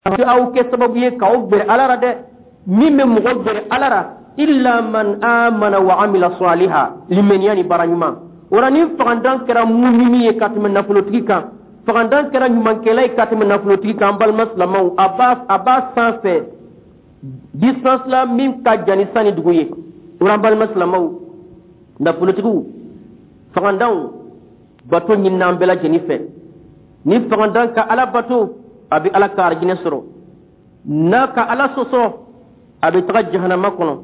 Aw kɛ sababu ye k'aw gbɛrɛ Ala ra dɛ. Min bɛ mɔgɔ gbɛrɛ Ala ra, illa man amana wa amila saliha, limaniya ni baara ɲuman. O la, ni fagandan kɛra mumini ye ka tɛmɛ nafolotigi kan, fagandan kɛra ɲumankɛla ye ka tɛmɛ nafolotigi kan, an balima silamɛw, a b'a sanfɛ distance la min ka jan ni san ni dugu ye. O la, an balima silamɛw, nafolotigiw, fagandanw, bato ɲinina an bɛɛ lajɛlen fɛ. Ni fagandan ka Ala bato, a bɛ Ala ka arijinɛ sɔrɔ. N'a ka Ala sɔsɔ, a bɛ taga jahanama kɔnɔ.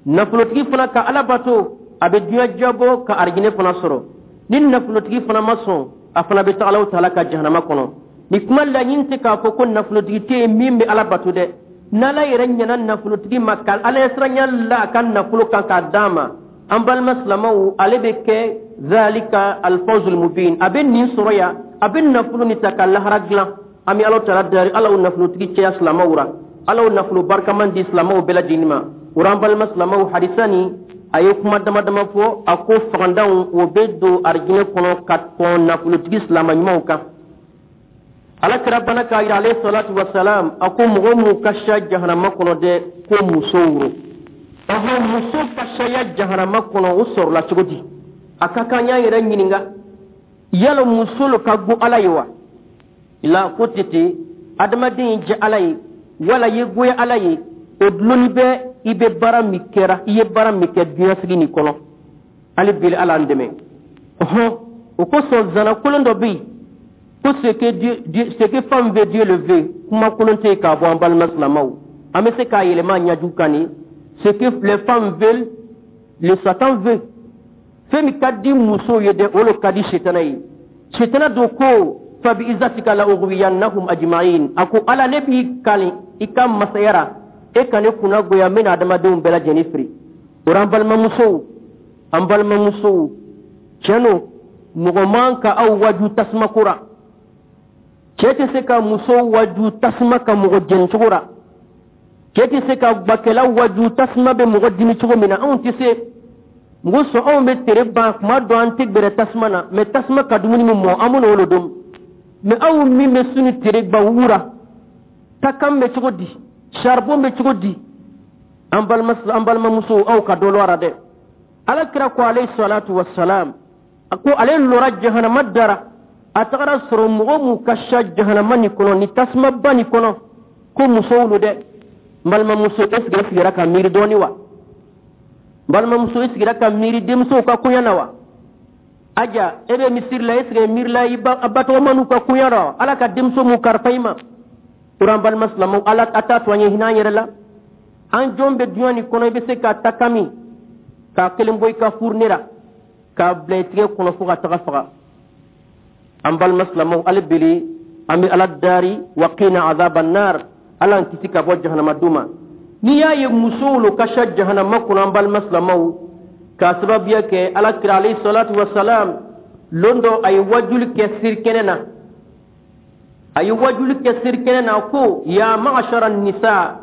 Nafolotigi fana ka Ala bato, a bɛ diɲɛ jabɔ ka arijinɛ fana sɔrɔ. Ni nafolotigi fana ma sɔn, a fana bɛ taga Alahu taala ka jahanama kɔnɔ. Ni kuma laɲini tɛ k'a fɔ ko nafolotigi tɛ yen min bɛ Ala bato dɛ. N'Ala yɛrɛ ɲɛna nafolotigi ma ka Ala siranya la a ka nafolo kan k'a d'a ma, an balima silamɛw, ale bɛ kɛ zalika alfawzul mubin, a bɛ nin sɔrɔ yan, a bɛ nafolo nin ta ka lahara dilan. An bɛ Ala taala dari, Ala nafolotigi cɛya silamɛw ra, Ala nafolo barikaman di silamɛw bɛɛ lajɛlen ma. O an balima silamɛw, hadisa nin, a ye kuma dama dama fɔ. A ko fagandanw, o bɛ don arijinɛ kɔnɔ ka kɔn nafolotigi silamɛ ɲumanw kan. Ala kira bana k'a yira, alayhi salatu wasalam, a ko mɔgɔ mun ka siya jahanama kɔnɔ dɛ, ko musow ro. Ɔhɔn, muso ka siya jahanama kɔnɔ, o sɔrɔla cogo di? A ka kan y'an yɛrɛ ɲininka, yala muso lo ka go Ala ye wa? La ko tɛ ten. Adamaden ye jɛ Ala ye wala ye goya Ala ye, o dulonni bɛ i bɛ baara min kɛra, i ye baara min kɛ diɲɛsigi nin kɔnɔ. Hali bi, Ala an dɛmɛ. Ɔhɔn, o kosɔn zana kolon dɔ bɛ yen ko ce que Dieu, ce que femme veut, Dieu le veut. Kuma kolon tɛ yen k'a bɔ. An balima silamɛw, an bɛ se k'a yɛlɛma ɲaju kan ni ce que les femmes veulent, le Satan veut. Fɛn min ka di musow ye dɛ, o de ka di setana ye. Setana don ko fabi izatika la ughwiyannahum ajma'in. A ko Ala, ne b'i kali i ka masaya ra, e ka ne kunna goya, n bɛna adamadenw bɛɛ lajɛlen firi. O an balimamusow, an balimamusow, tiɲɛ don, mɔgɔ man ka aw waju tasuma ko ra. Cɛ tɛ se ka muso waju tasuma ka mɔgɔ jɛni cogo ra. Cɛ tɛ se ka gbakɛla waju tasuma bɛ mɔgɔ dimi cogo min na. Anw tɛ se mɔgɔ sɔn. Anw bɛ tere ban kuma dɔ, an tɛ gbɛrɛ tasuma na mɛ tasuma ka dumuni min mɔ, an b'o de dun. Mɛ aw min bɛ su ni tere gba wura takan bɛ cogo di? Charbon bɛ cogo di? An balima, an balimamusow, aw ka dɔ lɔra dɛ. Ala kira ko, alayhi salatu wassalam, a ko ale lɔra jahanama dara, a tagara sɔrɔ mɔgɔ mun ka siya jahanama nin kɔnɔ, ni tasumaba nin kɔnɔ, ko musow lo dɛ. N balimamuso, est ce que e sigira ka miiri dɔɔni wa? N balimamuso, e sigira ka miiri denmusow ka koɲa na wa? Aja, e bɛ misiri la, est ce que miirila i batɔgɔmaniw ka koɲa rɔ, Ala ka denmuso mun karifa i ma? O an balima silamɛw, Ala a t'a to an ye hinɛ an yɛrɛ la. An jɔn bɛ duɲa nin kɔnɔ, i bɛ se ka ta kami k'a kelen bɔ i ka fourne la k'a bila i tigɛ kɔnɔ fo ka taga faga. An balima silamɛw, hali bele an bɛ Ala dari, waqina azaban nar, Ala an kisi ka bɔ jahanama dun ma. N'i y'a ye musow lo ka siya jahanama kɔnɔ, an balima silamɛw, k'a sababuya kɛ Ala kira, alayhi salatu wasalam, lon dɔ a ye wajuli kɛ sirikɛnɛ na. A ye wajuli kɛ sirikɛnɛ na ko ya ma'ashara nisa,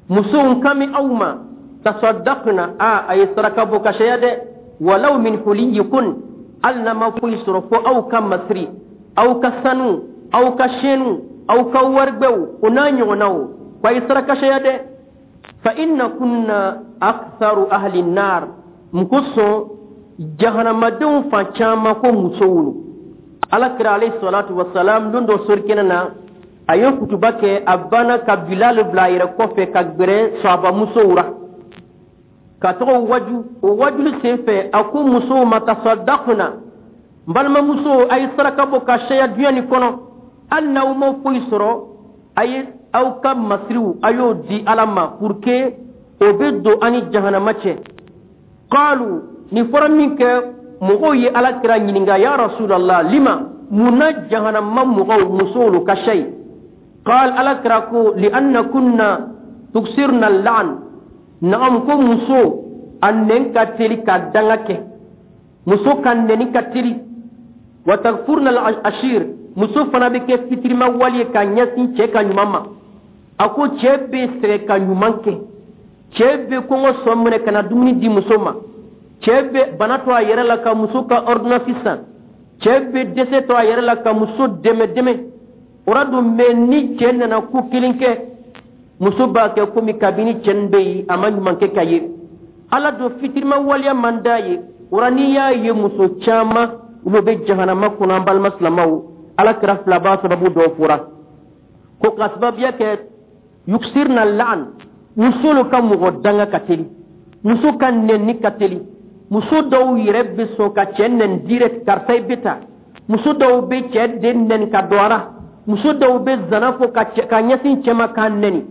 musow kan bɛ aw ma, tasaddaqna, a ye saraka bɔ ka saya dɛ, walaw min huliyikun, hali n'a ma foyi sɔrɔ fo aw ka masiri, aw ka sanu, aw ka sɛnu, aw ka warigwɛw, o n'a ɲɔgɔnnaw, ko a ye saraka saya dɛ. Fa inna kunna aktharu ahli nar. Mun kosɔn jahanamadenw fan caman ko musow lo? Ala kira, alayhi salatu wasalam, don dɔ sorikɛnɛ na, a ye kutuba kɛ. A banna ka Bilal bila a yɛrɛ kɔfɛ ka gbɛrɛ sɔhabamusow ra ka tɔgɔ waju. O wajuli sen fɛ, a ko musow ma tasaddaqna, n balimamusow, a ye saraka bɔ ka saya duɲa nin kɔnɔ. Hali n'aw ma foyi sɔrɔ, a ye aw ka masiriw, a y'o di Ala ma pour que o bɛ don an ni jahanama cɛ. Qalu, nin fɔra min kɛ, mɔgɔw ye Ala kira ɲininka, ya rasulallah, lima, mun na jahanama mɔgɔw musow lo ka siya ye? Qal, Ala kira ko li anna kunna tuksirna al-la'an. Naam, ko muso a nɛn ka teli ka danga kɛ, muso ka nɛni ka teli. Wa takfurna al-ashir, muso fana bɛ kɛ fitirima wali ye ka ɲɛsin cɛ ka ɲuman ma. A ko cɛ bɛ sɛgɛn ka ɲuman kɛ, cɛ bɛ kɔngɔ sɔn minɛ ka na dumuni di muso ma, cɛ bɛ bana to a yɛrɛ la ka muso ka ordonnance san, cɛ bɛ dɛsɛ to a yɛrɛ la ka muso dɛmɛ dɛmɛ. O ra dun mɛ, ni cɛ nana ko kelen kɛ, muso b'a kɛ komi kabini cɛ nin bɛ yen, a ma ɲuman kɛ ka ye. Ala don fitirima waleya man d'a ye. O ra n'i y'a ye muso caman olu bɛ jahanama kɔnɔ, an balima silamaw, Ala kira filaba sababu dɔw fɔra ko ka sababuya kɛ yuksirna la'an. Muso ka mɔgɔ danga ka teli, muso ka nɛni ka teli. Muso dɔw yɛrɛ bɛ sɔn ka cɛ nɛni direct: "Karisa, i bɛ ta." Muso dɔw bɛ cɛ den nɛni ka don a la. Muso dɔw bɛ zana fɔ ka ɲɛsin cɛ ma k'a nɛni.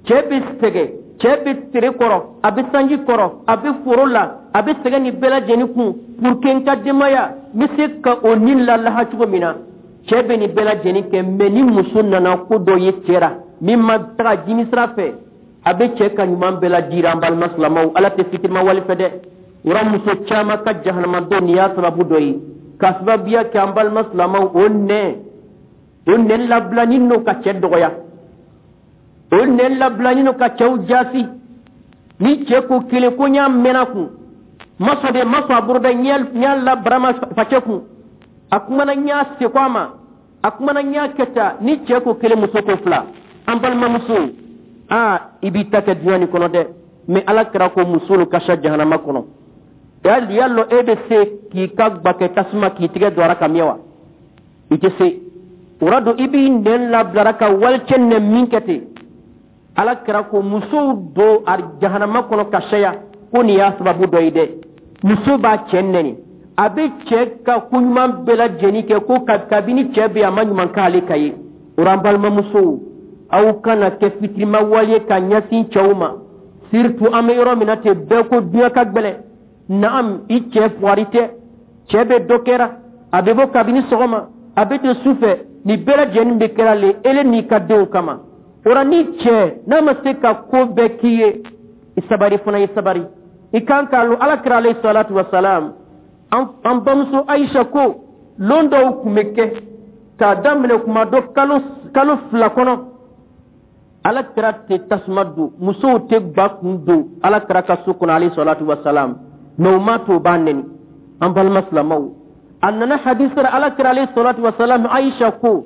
Cɛ bɛ sɛgɛn, cɛ bɛ tere kɔrɔ, a bɛ sanji kɔrɔ, a bɛ foro la, a bɛ sɛgɛn ni bɛɛ lajɛlen kun pour que n ka denbaya n bɛ se ka o ni lalaha cogo min na. Cɛ bɛ nin bɛɛ lajɛlen kɛ, mɛ ni muso nana ko dɔ ye cɛ la min ma taga jimi sira fɛ, a bɛ cɛ ka ɲuman bɛɛ lajira. An balima silamɛw, Ala tɛ fitirima wale fɛ dɛ. O muso caman ka jahanama dɔ, nin y'a sababu dɔ ye ka sababuya kɛ. An balima silamɛw, o nɛ labilani n'o ka cɛ dɔgɔya, o nɛ labilani n'o ka cɛw jaasi. Ni cɛ ko kelen ko n y'a mɛnna kun ma sɔn de, ma sɔn a bolo dɛ, n y'a la barama facɛ kun, a kumana, n y'a seko a ma, a kumana, n y'a kɛ tan. Ni cɛ ko kelen, muso ko fila. An balimamuso, aa, i b'i ta kɛ duɲa nin kɔnɔ dɛ, mɛ Ala kɛra ko musolu ka sa jahanama kɔnɔ. Yali yalɔ e bɛ se k'i ka gbakɛ tasuma k'i tigɛ don a la ka miɲɛ wa? I tɛ se. O la don i b'i nɛn labilara ka walicɛ nɛ min kɛ ten. Ala kɛra ko musow don a jahanama kɔnɔ ka saya, ko nin y'a sababu dɔ ye dɛ. Muso b'a cɛ nɛni, a bɛ cɛ ka koɲuman bɛɛ lajɛlen kɛ, ko kabini cɛ bɛ yen, a ma ɲuman k'ale ka ye. O la, an balimamusow, aw kana kɛ fitirima wale ka ɲɛsin cɛw ma, surtout an bɛ yɔrɔ min na ten, bɛɛ ko duɲa ka gɛlɛn. Naam, i cɛ fuwari tɛ, cɛ bɛ dɔ kɛra, a bɛ bɔ kabini sɔgɔma, a bɛ don sufɛ. Nin bɛɛ lajɛlen bɛ kɛra le ele n'i ka denw kama. O la, ni cɛ n'a ma se ka ko bɛɛ k'i ye, i sabari fana, i sabari. I kan k'a lɔn, Ala kira alayhi salatu wa salam, an bamuso Ayisa ko lon dɔw tun bɛ kɛ k'a daminɛ kuma dɔ kalo 2 kɔnɔ, Ala kira tɛ tasuma don, musow tɛ gba kun don Ala kira ka so kɔnɔ alayhi salatu wa salam. Mɛ o ma to o b'a nɛni. An balima silamɛw, a nana hadisa la, Ala kira alayhi salatu wa salam, Ayisa ko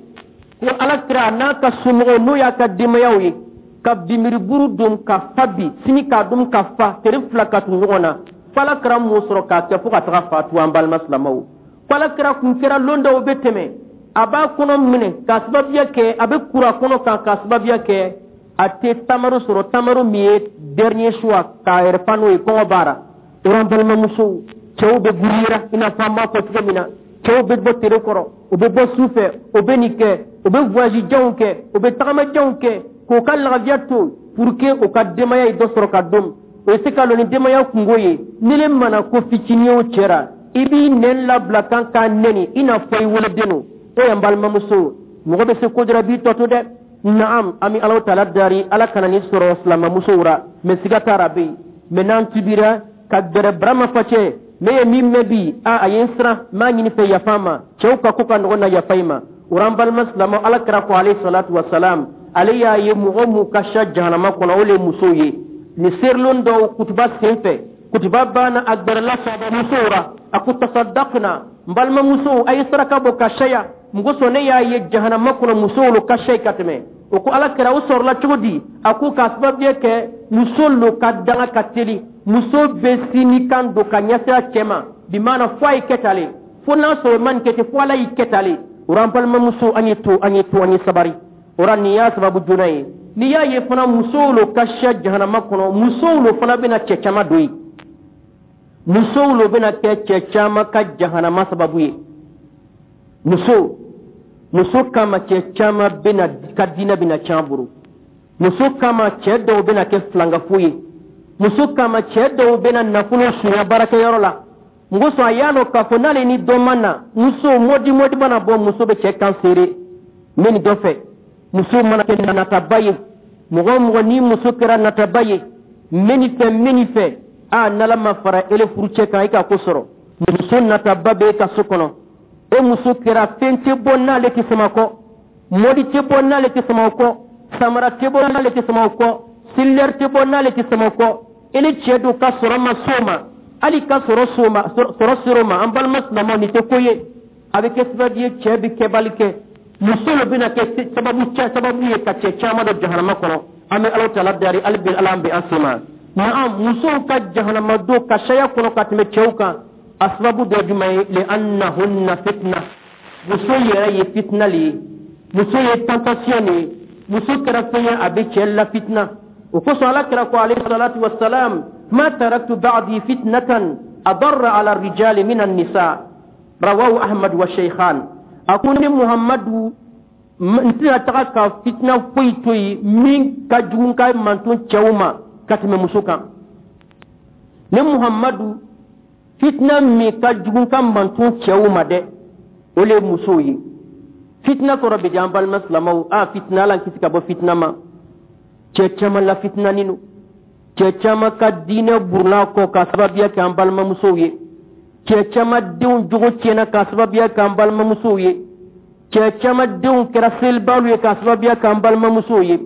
Ala kira n'a ka somɔgɔw, n'o y'a ka denbayaw ye, ka bimiriburu don ka fa bi sini k'a dun ka fa tere fila ka tugu ɲɔgɔn na, fo Ala kira m'o sɔrɔ k'a kɛ fo ka taga fatu. An balima silamɛw, ko Ala kira kun kɛra lon dɔw bɛ tɛmɛ, a b'a kɔnɔ minɛ k'a sababuya kɛ a bɛ kura kɔnɔ kan, k'a sababuya kɛ a tɛ tamaro sɔrɔ, tamaro min ye dernier choix k'a yɛrɛ fa n'o ye, kɔngɔ b'a la. O an balimamusow, cɛw bɛ guruyera i n'a fɔ an b'a fɔ cogo min na, cɛw bɛ bɔ tere kɔrɔ, u bɛ bɔ su fɛ, u bɛ nin kɛ, u bɛ voyage janw kɛ, u bɛ tagama janw kɛ k'u ka lafiya to pour que u ka denbaya ye dɔ sɔrɔ ka dun. O ye se ka lɔ ni denbaya kungo ye. Ni le mana ko fitinin o cɛra, i b'i nɛn labila kan k'a nɛni i n'a fɔ i woloden don. O ye n balimamuso, mɔgɔ bɛ se ko dɔ la, b'i tɔ to dɛ. Naam, an bɛ Alahu taala dari, Ala kana ni sɔrɔ silamɛmusow ra, mɛ siga t'a la bɛ yen. Mɛ n'an tubira ka gɛrɛ barama facɛ, ne ye min mɛn bi, a ye n siran, n b'a ɲini fɛ yafa ma. Cɛw ka ko ka nɔgɔn na, yafa i ma. O an balima silamɛ, Ala kira ko alayhi salatu wa salam, ale y'a ye mɔgɔ mun ka sa jahanama kɔnɔ, o le ye musow ye. Nin serilon dɔw kutuba sen fɛ, kutuba banna, a gbɛrɛla musow ra, a ko: "Tasaddaqna, n balimamusow, a ye saraka bɔ ka saya mɔgɔ sɔn. Ne y'a ye jahanama kɔnɔ, musow lo ka sa ka tɛmɛ." O ko: "Ala kɛra, o sɔrɔla cogo di?" A ko k'a sababuya kɛ muso lo ka danga ka teli. Muso bɛ sini kan don ka ɲɛsin a cɛ ma bi maana, fo a ye kɛ tale, fo n'a sɔrɔ ma nin kɛ ten, fo Ala y'i kɛ tale. O an balimamuso, an ye to, an ye to, an ye sabari. O la, nin y'a sababu joona ye. N'i y'a ye fana musow lo ka siya jahanama kɔnɔ, musow lo fana bɛna cɛ caman don yen. Musow lo bɛna kɛ cɛ caman ka jahanama sababu ye. Muso kama, cɛ caman bɛna ka diinɛ bɛna tiɲɛ bolo. Muso kama, cɛ dɔw bɛna kɛ filankafo ye. Muso kama, cɛ dɔw bɛna nafolo sunya baarakɛyɔrɔ la. Mɔgɔ sɔn a y'a dɔn k'a fɔ n'ale ni dɔ ma na, muso mɔdi mɔdi mana bɔ, muso bɛ cɛ kan seere n bɛ nin dɔ fɛ. Muso mana kɛ nataba ye, mɔgɔ o mɔgɔ ni muso kɛra nataba ye, n bɛ nin fɛ, n bɛ nin fɛ, a n'Ala ma fara ele furucɛ kan, i ka ko sɔrɔ. Muso nataba bɛ e ka so kɔnɔ, e muso kɛra fɛn tɛ bɔ n'ale tɛ sama kɔ, mɔdi tɛ bɔ n'ale tɛ sama kɔ, samara tɛ bɔ n'ale tɛ sama kɔ, cellulaire tɛ bɔ n'ale tɛ sama kɔ. Ele cɛ don ka sɔrɔ ma s'o ma, hali ka sɔrɔ s'o ma, sɔrɔ ser'o ma. An balima silamɛw, nin tɛ ko ye. A bɛ kɛ sababu ye cɛ bɛ kɛbali kɛ. Muso le bɛna kɛ sababu cɛ sababu ye ka cɛ caman don jahanama kɔnɔ. An bɛ Ala taala dari, hali bi Ala an bɛ an sen ma. Naam, musow ka jahanama don ka saya kɔnɔ ka tɛmɛ cɛw kan, a sababu dɔ jumɛn ye? Li annahunna fitna. Muso yɛrɛ ye fitina le ye, muso ye tentation de ye, muso kɛra fɛn ye a bɛ cɛ la fitina. O kosɔn Ala kira ko, alayhi salatu wassalam: ma taraktu ba'di fitnatan adarra ala rijali min an-nisa. Rawahu Ahmad wa Shaykhan. A ko ni Muhammadu, n tɛna taga ka fitina foyi to yen min ka jugu ka manton cɛw ma ka tɛmɛ muso kan. Ni Muhammadu, fitina min ka jugu ka manton cɛw ma dɛ, o le ye musow ye. Fitina kɔrɔ bɛ di, an balima silamɛw, a fitina, Ala kisi ka bɔ fitina ma. Cɛ caman la fitinanin don, cɛ caman ka diinɛ buruna kɔ ka sababuya kɛ an balimamusow ye, cɛ caman denw jogo tiɲɛna ka sababuya kɛ an balimamusow ye, cɛ caman denw kɛra selibalu ye ka sababuya kɛ an balimamusow ye.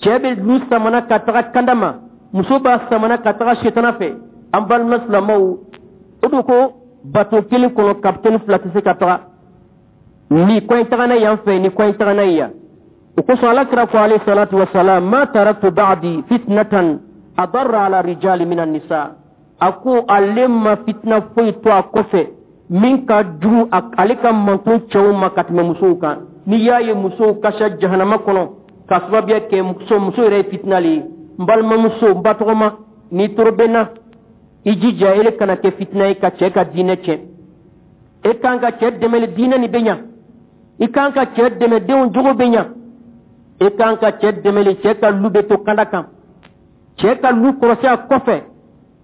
Cɛ bɛ lu samana ka taga kanda ma, muso b'a samana ka taga setana fɛ. An balima silamɛw, o don ko bato kelen kɔnɔ, kapitɛni fila tɛ se ka taga ni kɔɲ taga n'a yan fɛ, ni kɔɲ taga n'a yan. O kosɔn Ala kira ko, alayhi salatu wasalam: ma taraktu ba'di fitnatan adarra ala rijali minan nisa. A ko ale ma fitina foyi to a kɔfɛ min ka jugu ale ka manton cɛw ma ka tɛmɛ musow kan. N'i y'a ye musow kasa jahanama kɔnɔ ka sababuya kɛ muso, muso yɛrɛ ye fitina le ye. N balimamuso, n batɔgɔma, n'i toro bɛ na, i jija ele kana kɛ fitina ye ka cɛ ka diinɛ tiɲɛ. E kan ka cɛ dɛmɛ, diinɛ nin bɛ ɲa. I kan ka cɛ dɛmɛ, denw jogo bɛ ɲa. E kan ka cɛ dɛmɛ, cɛ ka lu bɛ to kanda kan, cɛ ka lu kɔlɔsi a kɔfɛ,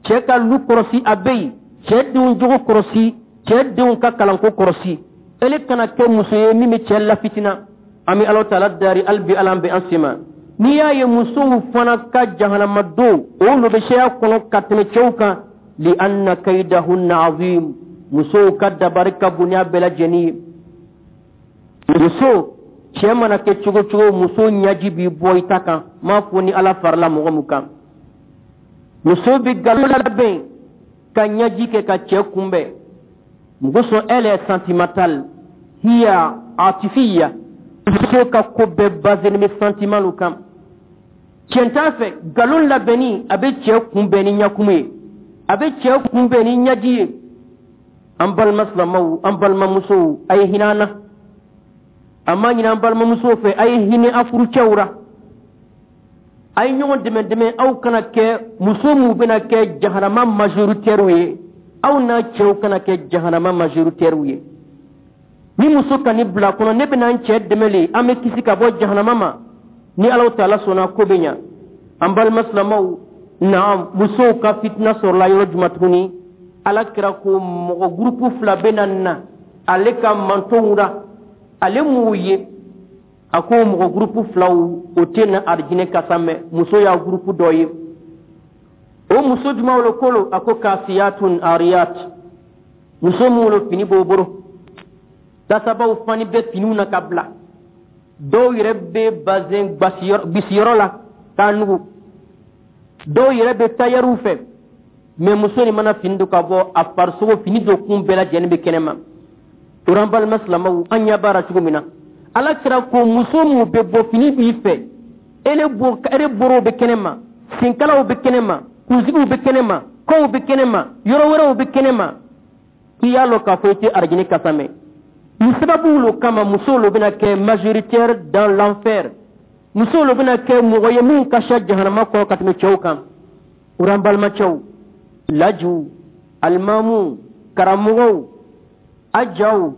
cɛ ka lu kɔlɔsi a bɛ yen, cɛ denw jogo kɔlɔsi, cɛ denw ka kalanko kɔlɔsi. Ele kana kɛ muso ye min bɛ cɛ lafitina. An bɛ Ala taala dari, hali bi Ala bɛ an sen ma. N'i y'a ye musow fana ka jahanama don, olu bɛ seya kɔnɔ ka tɛmɛ cɛw kan, li anna kaidahunna azim. Musow ka dabari ka bon n'a bɛɛ lajɛlen ye. Muso cɛ mana kɛ cogo cogo, muso ɲaji b'i bɔ i ta kan. M'a fɔ ni Ala farala mɔgɔ mun kan, muso bɛ nkalon labɛn ka ɲaji kɛ ka cɛ kunbɛn. Muso sɔn, elle est sentimentale, hiya atifiya. Muso ka ko bɛɛ basé bɛ sentiment kan. Tiɲɛ t'a fɛ, nkalon labɛnni, a bɛ cɛ kunbɛn ni ɲakumu ye, a bɛ cɛ kunbɛn ni ɲaji ye. An balima silamɛw, an balimamusow, a ye hinɛ an na. An m'a ɲini an balimamusow fɛ, a ye hinɛ a furucɛw ra, a ye ɲɔgɔn dɛmɛ dɛmɛ. Aw kana kɛ muso minnu bɛna kɛ jahanama majoritaire ye, aw n'a cɛw kana kɛ jahanama majoritaire ye. Ni muso ka ni bila kɔnɔ, ne bɛna n cɛ dɛmɛ le, an bɛ kisi ka bɔ jahanama ma. Ni Alaw taala sɔnna, ko bɛ ɲa. An balima silamɛw, naam, musow ka fitina sɔrɔla yɔrɔ jumɛn tuguni? Ala kira ko mɔgɔ gurupu fila bɛ na ale ka mantonw ra, ale m'u ye. A ko mɔgɔ gurupu filaw, o tɛ na arijinɛ kasa mɛn. Muso y'a gurupu dɔ ye. O muso jumɛnw le kolo? A ko kasiyatun ariyat, muso minnu le fini b'o bolo, tasabaw fani bɛ finiw na ka bila, dɔw yɛrɛ bɛ bazɛn bisiyɔrɔ la k'a nugu, dɔw yɛrɛ bɛ tayɛriw fɛ. Mɛ muso nin mana fini don ka bɔ, a farisogo fini don kun bɛɛ lajɛlen bɛ kɛnɛ ma. O an balima silamɛw, an ɲɛ b'a la cogo min na, Ala kira ko muso mun bɛ bɔ, fini b'i fɛ, ele bo ele borow bɛ kɛnɛ ma, senkalaw bɛ kɛnɛ ma, kunsigiw bɛ kɛnɛ ma, kɔw bɛ kɛnɛ ma, yɔrɔ wɛrɛw bɛ kɛnɛ ma, k'i y'a lɔn k'a fɔ i tɛ arijinɛ kasa mɛn. Nin sababu lo kama musow lo bɛna kɛ majoritaire dans l'enfer, musow lo bɛna kɛ mɔgɔ ye min ka siya jahanama kɔnɔ ka tɛmɛ cɛw kan. O an balimacɛw, lajiw, alimamuw, karamɔgɔw, a jaw,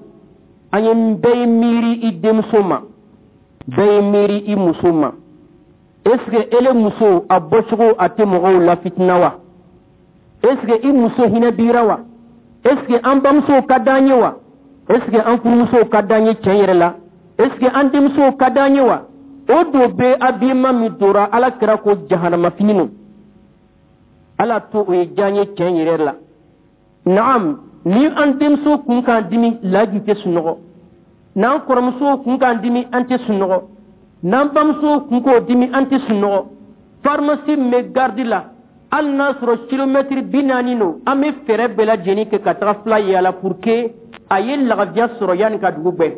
an ye bɛɛ ye miiri i denmuso ma, bɛɛ ye miiri i muso ma. Est ce que ele muso a bɔcogo a tɛ mɔgɔw la fitina wa? Est ce que i muso hinɛ bira wa? Est ce que an bamusow ka d'an ye wa? Est ce que an furumusow ka d'an ye tiɲɛ yɛrɛ la? Est ce que an denmusow ka d'an ye wa? O do bɛ habillement min dora, Ala kira ko jahanama fini no. Ala to o ye diya ye tiɲɛ yɛrɛ la. Naam, ni an denmuso kun k'an dimi, laji tɛ sunɔgɔ. N'an kɔrɔmuso kun k'an dimi, an tɛ sunɔgɔ. N'an bamuso kun k'o dimi, an tɛ sunɔgɔ. Pharmacie min bɛ garde la, hali n'a sɔrɔ kilomɛtiri 40 don, an bɛ fɛɛrɛ bɛɛ lajɛlen kɛ ka taga fila yaala pour que a ye lagafiya sɔrɔ yanni ka dugu gbɛ.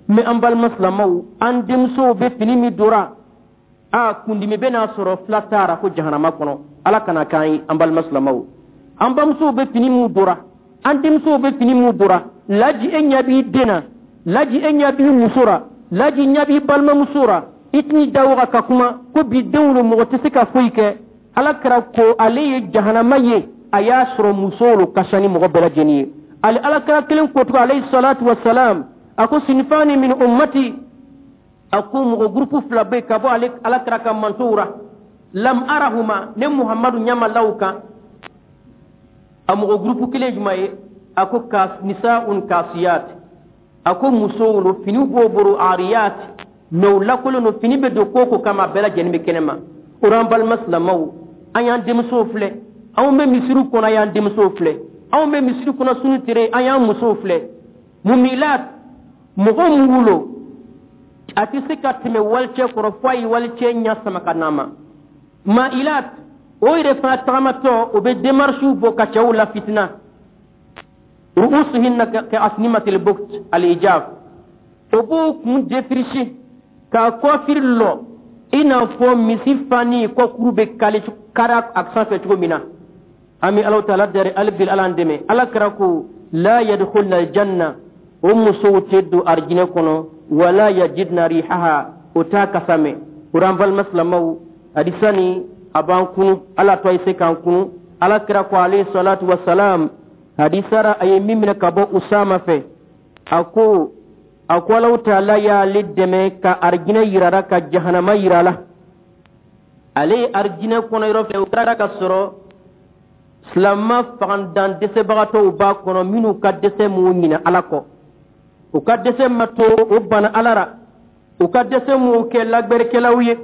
Mais an balima silamaw, an denmusow bɛ fini min dora, a kundimi bɛ n'a sɔrɔ fila taara ko jahanama kɔnɔ. Ala kana k'an ye. An balima silamaw, an bamusow bɛ fini min dora, an denmusow bɛ fini min dora, laji e ɲɛ b'i den na, laji e ɲɛ b'i muso ra, laji ɲɛ b'i balimamuso ra, i tɛn'i da waga ka kuma ko bi denw lo, mɔgɔ tɛ se ka foyi kɛ. Ala kɛra ko ale ye jahanama ye, a y'a sɔrɔ musow lo ka ca ni mɔgɔ bɛɛ lajɛlen ye. Ale Ala kɛra kelen kotugu, alayhi salatu wasalam, a ko sinfani min ummati, a ko mɔgɔ gurupu fila bɛ ka bɔ ale Ala kɛra ka mantow ra, lam arahuma, ne Muhammadu ɲama law kan. A mɔgɔ gurupu kelen jumɛn ye? A ko ka nisaun kasiyat, a ko musow lo, finiw b'o bolo, ariyat, mɛ u lakolon don. Fini bɛ don ko ko kama, a bɛɛ lajɛlen bɛ kɛnɛ ma. O an balima silamɛw, an y'an denmusow filɛ, anw bɛ misiriw kɔnɔ, an y'an denmusow filɛ, anw bɛ misiri kɔnɔ sunu tere, an y'an musow filɛ. Mumilat, mɔgɔ mun wolo a tɛ se ka tɛmɛ walicɛ kɔrɔ fo a ye walicɛ ɲɛ sama ka n'a ma. Mailat, o yɛrɛ fana tagamatɔ, o bɛ démarches bɔ ka cɛw la fitina. Ru'usuhinna ka asnimatil bukt al ijab, o b'o kun défricher k'a coiffure lɔ i n'a fɔ misi fani kɔkuru bɛ kali kara a sanfɛ cogo min na. An bɛ Alahu Taala dari hali bi, Ala an dɛmɛ. Ala kɛra ko la yadkhulna aljanna, o musow tɛ don arijinɛ kɔnɔ, wala yajidna rihaha, o t'a kasa mɛn. O an balima silamɛw, hadisa ni a b'an kunu, Ala to a ye se k'an kunu. Ala kɛra ko alayhi salatu wasalam, hadisara a ye min minɛ ka bɔ Usama fɛ, a ko Alahu Taala y'ale dɛmɛ ka arijinɛ yirara, ka jahanama yira la. Ale ye arijinɛ kɔnɔ yɔrɔ fɛ, o kɛra ka sɔrɔ silama fagandan dɛsɛbagatɔw b'a kɔnɔ, minnu ka dɛsɛ m'u ɲinɛ Ala kɔ, u ka dɛsɛ ma to o bana Ala ra, u ka dɛsɛ m'u kɛ lagbɛrikɛlaw ye,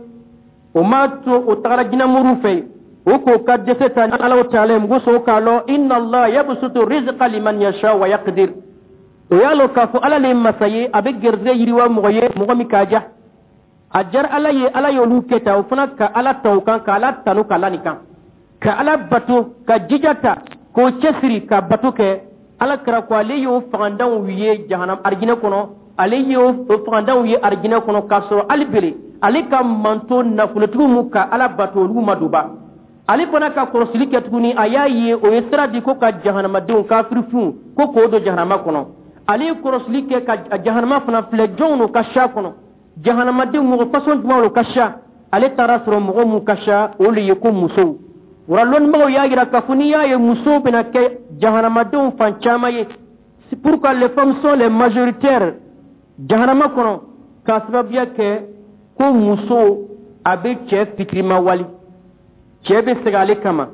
o m'a to o tagara jinɛmuru fɛ. O k'o ka dɛsɛ ta Alahu Taala ye, mugu sɔn k'a lɔ inna Allah yabsutu rizqa liman yasha wa yaqdir. O y'a lɔ k'a fɔ Ala le ye masa ye, a bɛ gɛrɛsɛgɛ yiriwa mɔgɔ ye, mɔgɔ min k'a ja. A diyara Ala ye, Ala y'olu kɛ tan, o fana ka Ala ta o kan, ka Ala tanu ka la nin kan, ka Ala bato, ka jija ta k'o cɛsiri ka bato kɛ. Ala kɛra ko ale y'o fagandanw ye jahanam arijinɛ kɔnɔ, ale y'o fagandanw ye arijinɛ kɔnɔ, k'a sɔrɔ hali bele ale ka manto nafolotigiw mu ka Ala bato, olu ma don ba. Ale fana ka kɔlɔsili kɛ tuguni, a y'a ye o ye sira di ko ka jahanamadenw kafirifinw ko k'o don jahanama kɔnɔ. Ale ye kɔlɔsili kɛ ka jahanama fana filɛ, jɔnw n'o ka siya kɔnɔ, jahanamadenw mɔgɔ fasɔn jumɛn n'o ka siya? Ale taara sɔrɔ mɔgɔ mun ka siya, o le ye ko musow. Wara lɔnnibagaw y'a jira k'a fɔ n'i y'a ye musow bɛna kɛ jahanamadenw fan caman ye, c'est pourquoi les femmes sont les majoritaires jahanama kɔnɔ, k'a sababuya kɛ ko muso a bɛ cɛ fitirima wali, cɛ bɛ sɛgɛn ale kama,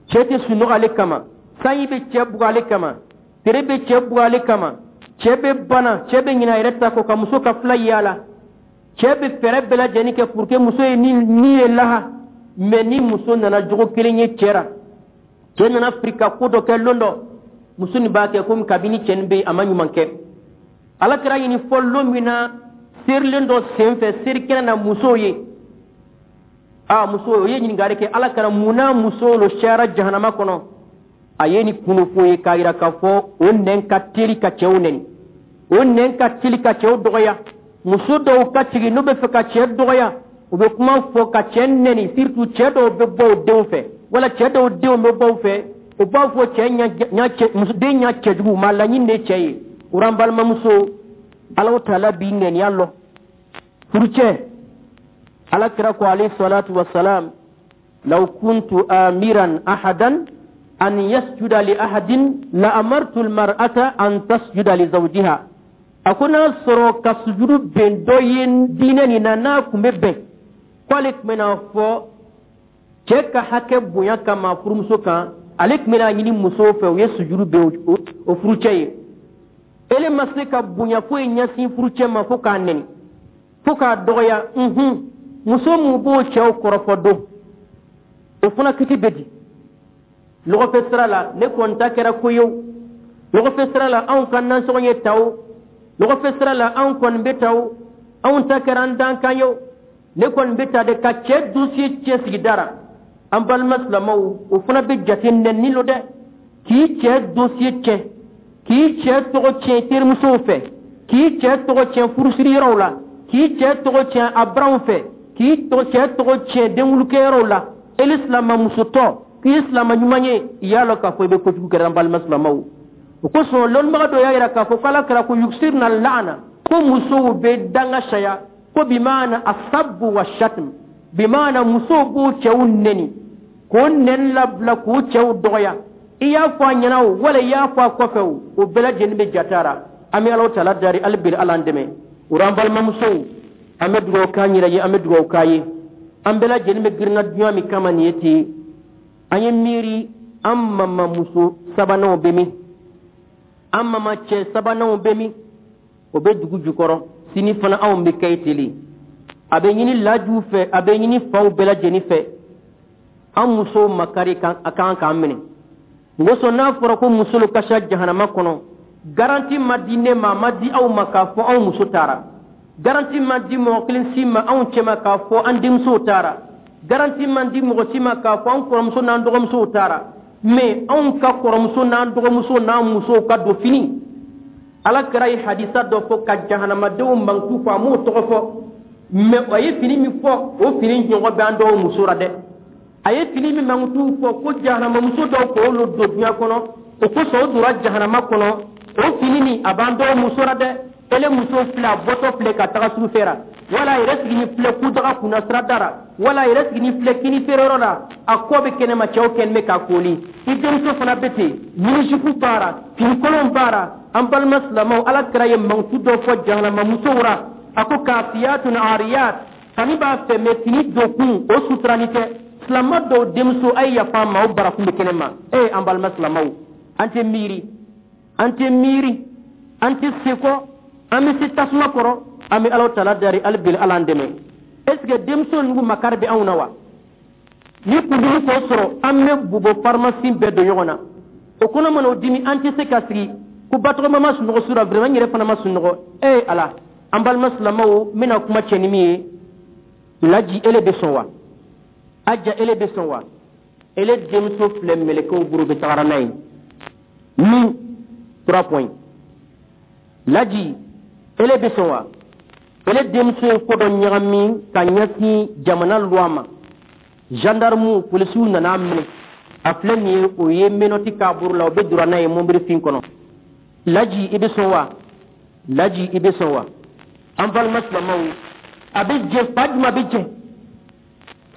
cɛ tɛ sunɔgɔ ale kama, sanji bɛ cɛ bugɔ ale kama, tere bɛ cɛ bugɔ ale kama, cɛ bɛ bana, cɛ bɛ ɲinɛ a yɛrɛ ta kɔ ka muso ka fila yaala, cɛ bɛ fɛɛrɛ bɛɛ lajɛlen kɛ pour que muso ye ni ye laha. Mais ni muso nana jogo kelen ye cɛ ra, cɛ nana firi ka ko dɔ kɛ lon dɔ, muso nin b'a kɛ komi kabini cɛ nin bɛ yen, a ma ɲuman kɛ. Ala kɛra ɲini fɔ lon min na, serilen dɔ senfɛ seri kɛnɛ na, musow ye a muso o ye ɲininkali kɛ Ala kɛra mun na musow lo siyara jahanama kɔnɔ. A ye nin kunnafo ye k'a yira k'a fɔ o nɛn ka teli ka cɛw nɛni, o nɛn ka teli ka cɛw dɔgɔya. Muso dɔw ka sigi n'u bɛ fɛ ka cɛ dɔgɔya, u bɛ kuma fɔ ka cɛ nɛni, surtout cɛ dɔw bɛ bɔ u denw fɛ, wala cɛ dɔw denw bɛ bɔ u fɛ, u b'a fɔ cɛ ɲa cɛ muso den ɲa cɛjugu maa laɲini de cɛ ye. O an balimamuso, Alahu Taala b'i ŋaniya lɔ furucɛ. Ala kira ko alayhi salatu wasalam, law kuntu amiran ahadan an yasjuda li ahadin la amartu almar'ata an tasjuda li zawjiha. A ko n'a sɔrɔ ka sujudu bɛn dɔ ye diinɛ nin na, n'a kun bɛ bɛn k'ale tun bɛna fɔ cɛ ka hakɛ bonya kama furumuso kan, ale tun bɛna ɲini musow fɛ u ye sujudu bɛn o furucɛ ye. Ele ma se ka bonya foyi ɲɛsin furucɛ ma fo k'a nɛni, fo k'a dɔgɔya. Muso mun b'o cɛw kɔrɔfɔ don, o fana kiti bɛ di lɔgɔfɛ sira la. Ne kɔni ta kɛra ko ye o, lɔgɔfɛ sira la anw ka nasɔngɔ ye ta o, lɔgɔfɛ sira la anw kɔni bɛ ta o, anw ta kɛra an dankan ye o, ne kɔni bɛ ta de ka cɛ dossier cɛ sigida ra. An balima silamɛw, o fana bɛ jate nɛni lo dɛ, k'i cɛ dossier cɛ, k'i cɛ tɔgɔ tiɲɛ terimusow fɛ, K'i cɛ tɔgɔ tiɲɛ furusiri yɔrɔw la, k'i cɛ tɔgɔ tiɲɛ a baranw fɛ, k'i cɛ tɔgɔ tiɲɛ denwulukɛyɔrɔw la, ele silamamusotɔ k'i silama ɲuman ye, i y'a lɔn k'a fɔ i bɛ kojugu kɛra. An balima silamaw, o kosɔn lɔnnibaga dɔ y'a yira k'a fɔ ko Ala kɛra ko yuksirna laana, ko musow bɛ danga saya, ko bimaana asabu wa shatm, bimaana musow b'u cɛw neni, k'o nɛni labila, k'u cɛw dɔgɔya. I y'a fɔ a ɲɛna o, wala i y'a fɔ a kɔfɛ o, o bɛɛ lajɛlen bɛ jatara. An bɛ Alahu Taala dari hali bi, Ala an dɛmɛ o rɔ. An balimamusow, an bɛ dugawu k'an yɛrɛ ye, an bɛ dugawu k'a ye. An bɛɛ lajɛlen bɛ girinna duɲa min kama nin ye ten, an ye miiri an mamamuso sabananw bɛ min, an mama cɛ sabananw bɛ min, o bɛ dugu jukɔrɔ. Sini fana anw bɛ kɛ tele. A bɛ ɲini lajuw fɛ, a bɛ ɲini faw bɛɛ lajɛlen fɛ, an musow makari a kan k'an minɛ. Ngosɔn n'a fɔra ko musolu ka sa jahanama kɔnɔ, garantie ma di ne ma, a ma di aw ma k'a fɔ anw muso taara. Garantie ma di mɔgɔ kelen si ma anw cɛma k'a fɔ an denmusow taara. Garantie ma di mɔgɔ si ma k'a fɔ an kɔrɔmuso n'an dɔgɔmusow taara. Mais anw ka kɔrɔmuso n'an dɔgɔmuso n'an musow ka don fini, Ala kɛra ye hadisa dɔ fɔ ka jahanamadenw mankutu fɔ, a m'o tɔgɔ fɔ, mais a ye fini min fɔ, o fini ɲɔgɔn bɛ an dɔw muso la dɛ. A ye fini min mankutu fɔ ko jahanamamuso dɔw k'olu don duɲa kɔnɔ, o kosɔn o donna jahanama kɔnɔ, o fini nin a b'an dɔw muso la dɛ. Ele muso filɛ, a bɔtɔ filɛ ka taga sugu fɛ la, wala a yɛrɛ sigini filɛ kudaga kunna sirada la, wala a yɛrɛ sigini filɛ kini feereyɔrɔ la, a kɔ bɛ kɛnɛma, cɛw kɛlen bɛ k'a kooli. I denmuso fana bɛ ten, mini-jupe b'a la, finikolon b'a la. An balima silamɛw, Ala kɛra ye mankutu dɔ fɔ jahanama musow ra, a ko kasiyatun ariyat, fani b'a fɛ, mais fini dokun o suturani tɛ. Silama dɔw denmuso, a ye yafa ma, o barakun bɛ kɛnɛ ma. Ee, an balima silamɛw, an tɛ miiri, an tɛ miiri, an tɛ sekɔ, an bɛ se tasuma kɔrɔ. An bɛ Alahu Taala dari hali bi, Ala an dɛmɛ. Est ce que denmuso ninnu makari bɛ anw na wa? Ni kundimi k'o sɔrɔ, an bɛ bubɔ pharmacie bɛɛ don ɲɔgɔn na, o kɔnɔ mana o dimi, an tɛ se ka sigi ko batɔgɔma ma sunɔgɔ su la, vraiment n yɛrɛ fana ma sunɔgɔ. Ee Ala, an balima silamɛw, n bɛna kuma cɛ ni min ye, Laji, ele bɛ sɔn wa? Aja, ele bɛ sɔn wa? Ele denmuso filɛ mɛlɛkɛw bolo, bɛ tagara n'a ye min trois points. Laji, ele bɛ sɔn wa? Ele denmuso ye ko dɔ ɲagami ka ɲɛsin jamana loi ma, gendarme, polisiw nana minɛ, a filɛ nin ye, o ye menottes k'a bolo la, o bɛ donna n'a ye mobili fin kɔnɔ. Laji, i bɛ sɔn wa? Laji, i bɛ sɔn wa? An balima silamɛw, a bɛ jɛ fa jumɛn bɛ jɛ?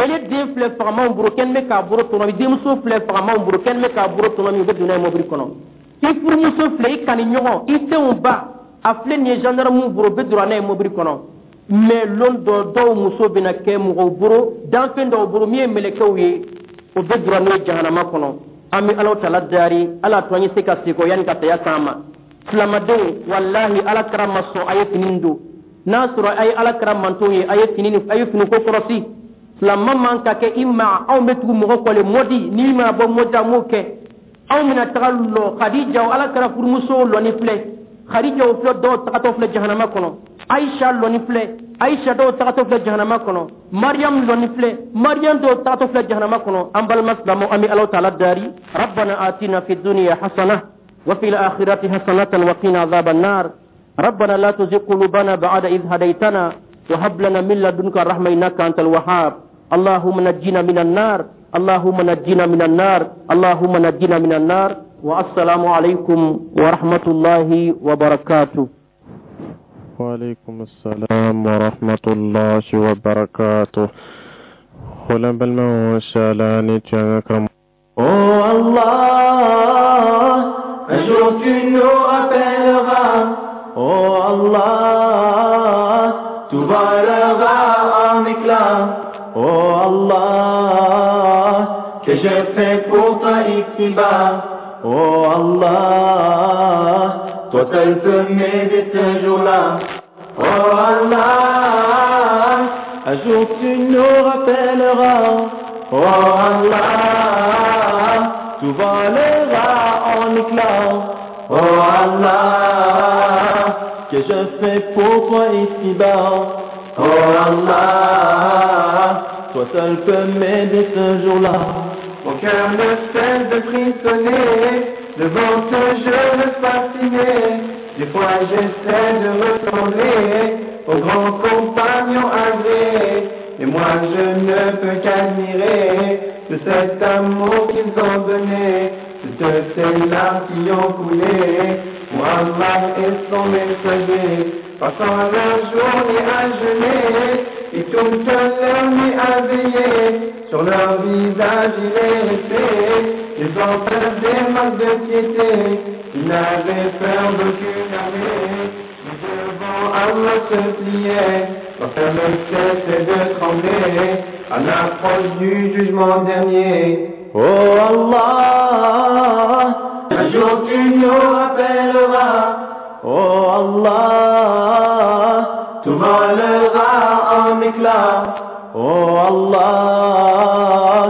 Ele den filɛ fagamanw bolo, kɛn bɛ k'a bolo tɔnɔmi. Denmuso filɛ fagamanw bolo, kɛn bɛ k'a bolo tɔnɔmi, u bɛ don n'a ye mobili kɔnɔ. I furumuso filɛ, i kani ɲɔgɔn, i denw ba, a filɛ nin ye gendarme bolo, u bɛ don n'a ye mobili kɔnɔ. Mais lon dɔ, dɔw muso bɛna kɛ mɔgɔw bolo, danfɛn dɔw bolo min ye mɛlɛkɛw ye, o bɛ don n'o ye jahanama kɔnɔ. An bɛ Alahu Taala dari, Ala to an ye se ka segin yanni ka saya s'an ma. Silamadenw, walahi, Ala kɛra ma sɔn a ye fini don. N'a sɔrɔ a ye Ala kɛra mantonw ye, a ye fini, a ye finiko kɔlɔsi. Silama man ka kɛ i ma, anw bɛ tugu mɔgɔ kɔle mɔdi n'i ma bɔ mɔdi, an m'o kɛ. Anw bɛna taga lɔ Khadija, Ala kɛra furumusow lɔni filɛ, Khadija filɛ, dɔw tagatɔ filɛ jahanama kɔnɔ. Aisha lɔni filɛ, Aisha dɔw tagatɔ filɛ jahanama kɔnɔ. Mariam lɔni filɛ, Mariam dɔw tagatɔ filɛ jahanama kɔnɔ. An balima silamɛw, an bɛ Alahu Taala dari. Rabbana atina fi dunya hasana wa fil akhirati hasanatan wa qina adhaban nar. Rabbana la tuzigh qulubana ba'da idh hadaytana wa hab lana min ladunka rahma innaka antal wahhab. Allahumma najjina minan nar, allahumma najjina minan nar, allahumma najjina minan nar. Wa assalamu alaikum wa rahmatullahi wa barakatuh. وعليكم السلام ورحمة الله وبركاته. O la, balimaw, inshallah ni tun y'an ka karamɔgɔ Oh Allah, un jour tu nous rappelleras. Oh Allah, tout volera en éclats. Oh Allah, que je fais pour toi ici-bas. Oh Allah, toi seul peux m'aider ce jour-là. Oh Allah, un jour tu nous rappelleras. Oh Allah, tout volera en éclats. Oh Allah, que je fais pour toi ici-bas. Oh Allah, toi seul peux m'aider ce jour-là. Mon cœur ne cesse de frissonner devant ce jeûne fasciné. Des fois j'essaie de ressembler aux grands compagnons agréés. Et moi je ne peux qu'admirer tout cet amour qu'ils ont donné, toutes ces larmes qui ont coulé pour Allah et son messager, passant leur journée à jeûner et toute leur nuit à veiller. Sur leur visage il est resté des empreintes, des marques de piété. Ils n'avaient peur d'aucune armée, mais devant Allah se pliaient. Leur cœur ne cessait de trembler à l'approche du jugement dernier. Oh Allah, un jour tu nous rappelleras. Oh Allah, tout volera en éclats. Oh Allah,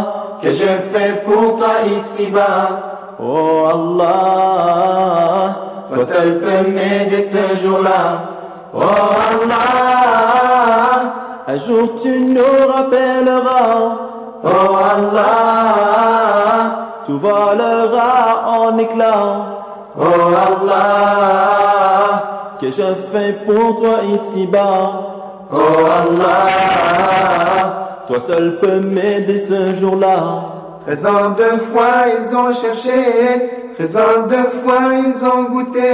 que je fais pour toi ici-bas. Oh Allah, toi seul peux m'aider ce jour-là. Oh Allah, un jour tu nous rappelleras. Oh Allah, tout volera en éclats. Oh Allah, que je fais pour toi ici-bas. Oh Allah, toi seul peux m'aider ce jour-là. 13 ans de foi ils ont cherché, 13 ans de foi ils ont goûté,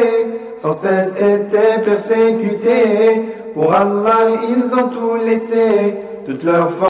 sans cesse étaient persécutés. Pour Allah ils ont tout laissé, toute leur fortune.